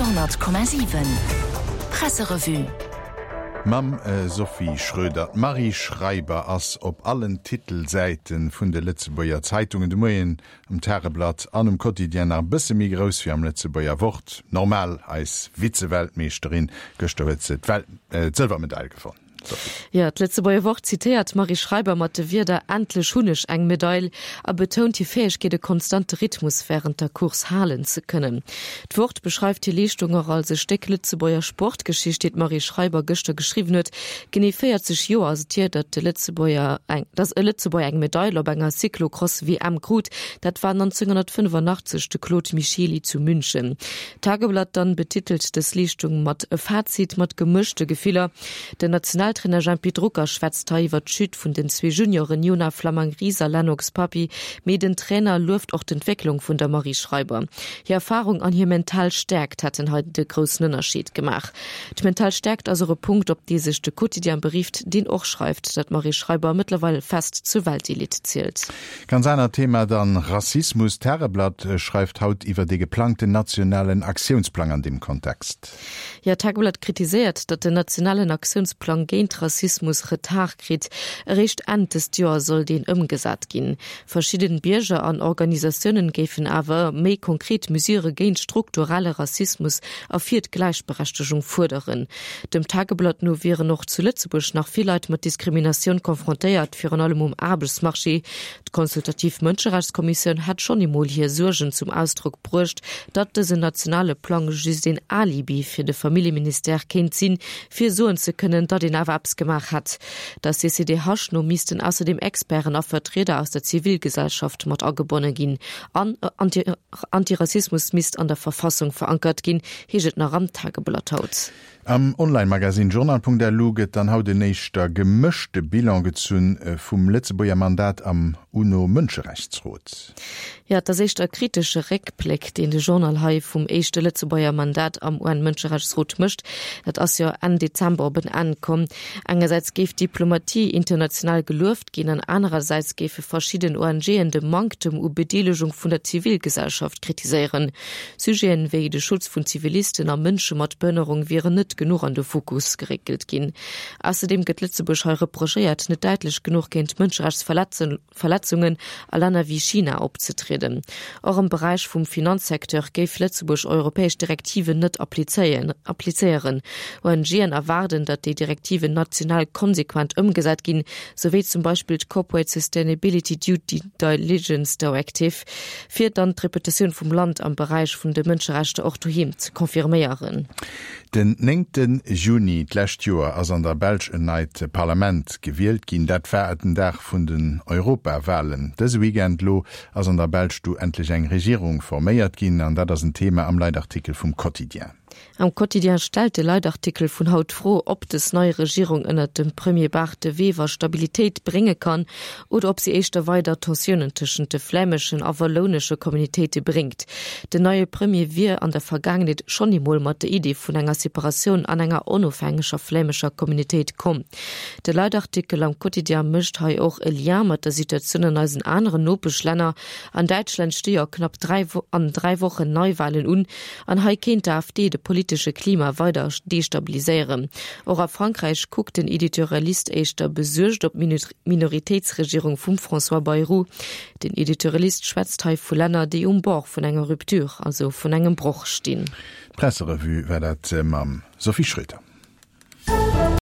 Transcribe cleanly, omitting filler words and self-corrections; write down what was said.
Radio,7 Presserevue. Mam Sophie Schröder. D'Marie Schreiber ass op allen Titelsäite vun de Lëtzebuerger Zeitungen de Moien, um Tageblatt an um Quotidien nach e bësse méi grouss wéi am Lëtzebuerger Wort. Normal, eis Vize-Weltmeeschterin. Gëschter huet se d'Sëlwermedail gewonn. Jo, d'Lëtzebuerger Wort zitéiert d'Marie Schreiber mat de Wierder Endlech hunn ech eng Medail a betount hir Fäegkeet, e konstante Rhythmus wärend der Course halen ze kënnen. D'Wort beschreift hir Leeschtung och als e Stéck Lëtzebuerger Sportgeschicht, déi d'Marie Schreiber gëschter geschriwwen huet. Genee 40 Joer ass et hier, datt de Lëtzebuerger eng, datt e Lëtzebuerger eng Medail op enger Cyclocross-WM krut. Dat war 1985 de Claude Michely zu München. D'Tageblatt dann betitelt dës Leeschtung mat E Fazit mat gemëschte Gefiller. Den Nationaltrainer Jempy Drucker schwätzt hei iwwer d'Chute vun den zwee Junioren Jona Flammang-Ries a Lennox Papi, mee den Trainer lueft och d'Entwécklung vun der Marie Schreiber. Hir Erfarung an hir mental Stäerkt hätten hei de groussen Ënnerscheed gemaach. D'mental Stäerkt ass och e Punkt, op dee sech de Quotidien berifft, deen och schreift, datt d'Marie Schreiber mëttlerweil fest zur Weltelite zielt. Ganz anert Thema dann, Rassismus. D'Tageblatt schreift haut iwwer dee geplangten nationalen Aktiounsplang an deem Kontext. Jo, d'Tageblatt kritiséiert, datt den nationalen Aktiounsplang géint Rassismus Retard kritt. Eréischt Enn dëst Joer soll deen ëmgesat ginn. Verschidden Bierger an Organisatiounen géifen awer méi konkret Mesure géint strukturelle Rassismus a fir d'Gläichberechtegung fuerderen. Dem Tageblatt no wieren och zu Lëtzebuerg nach vill Leit mat Diskriminatioun confrontéiert, virun allem um Aarbechtsmarché. D'Consultativ Mënscherechtskommissioun hätt schonn eemol hir Suergen zum Ausdrock bruecht, datt dësen nationale Plang just een Alibi fir de Familljeministère kéint sinn, fir soen ze kënnen, datt een awer eppes gemaach hätt. Der CCDH no missten ausserdeem Experten a Vertrieder aus der Zivilgesellschaft mat agebonne ginn an Antirassismus misst an der Verfassung verankert ginn, heescht et nach am Tageblatt haut. Am Online-Magazin Journal.lu gëtt dann haut en éischter gemëschte Bilan gezunn vum Lëtzebuerger Mandat am UNO-Mënscherechtsrot. Jo, et ass éischter e kritesche Réckbléck, deen de Journal hei vum éischte Lëtzebuerger Mandat am UN-Mënscherechtsrot mécht. Dat ass jo Enn Dezember op en Enn komm. Engersäits géif d'Diplomatie international gelueft ginn an anerersäits géife verschidden ONGen de Manktem u Bedeelegung vun der Zivilgesellschaft kritiséieren. Sujeten wéi de Schutz vun Zivilisten a Mënsche mat Behënnerung wieren net genuch an de Fokus geréckelt ginn. Ausserdeem gëtt Lëtzebuerg hei reprochéiert, net däitlech genuch géint Mënscherechtsverletzungen a Länner wéi China opzetrieden. Och am Beräich vum Finanzsecteur géif Lëtzebuerg europäesch Direktiven net applizéieren. ONGen erwaarden, datt déi Direktiven national konsequent ëmgesat ginn, sou wéi zum Beispill d'Corporate Sustainability Due Diligence Directive. Fir dann d'Reputatioun vum Land am Beräich vun de Mënscherechter och doheem ze confirméieren. Den néngte Juni d'lescht Joer ass an der Belsch en neit Parlament gewielt ginn. Dat war den Dag vun den Europawalen. Dëse Weekend lo ass an der Belsch du endlech eng Regierung forméiert ginn an dat ass en Thema am Leitartikel vum Quotidien. Am Quotidien stellt de Leitartikel vun haut d'Fro, ob dës nei Regierung ënnert dem Premier Bart De Wever Stabilitéit brénge kann oder ob si éischter weider Tensiounen tëschent de flämeschen a wallounesche Communautéite bréngt. Den neie Premier wier an der Vergaangenheet schonn eemol mat der Idee vun enger Separatioun an enger onofhängeger flämescher Communautéit komm. De Leitartikel am Quotidien mécht hei och e Lien mat der Situatioun an eisen aneren Nopeschlänner. An Däitschland sti jo knapp 3 an 3 Wochen Neiwalen un. An hei kéint d'AfD de politesche Klima weider destabiliséieren. Och a Frankräich kuckt den Editorialist éischter besuergt op d'Minoritéitsregierung vum François Bayrou. Den Editorialist schwätzt hei vu Länner, déi um Bord vun enger Rupture, also vun engem Broch stinn. D'Presserevue war dat mam Sophie Schröder.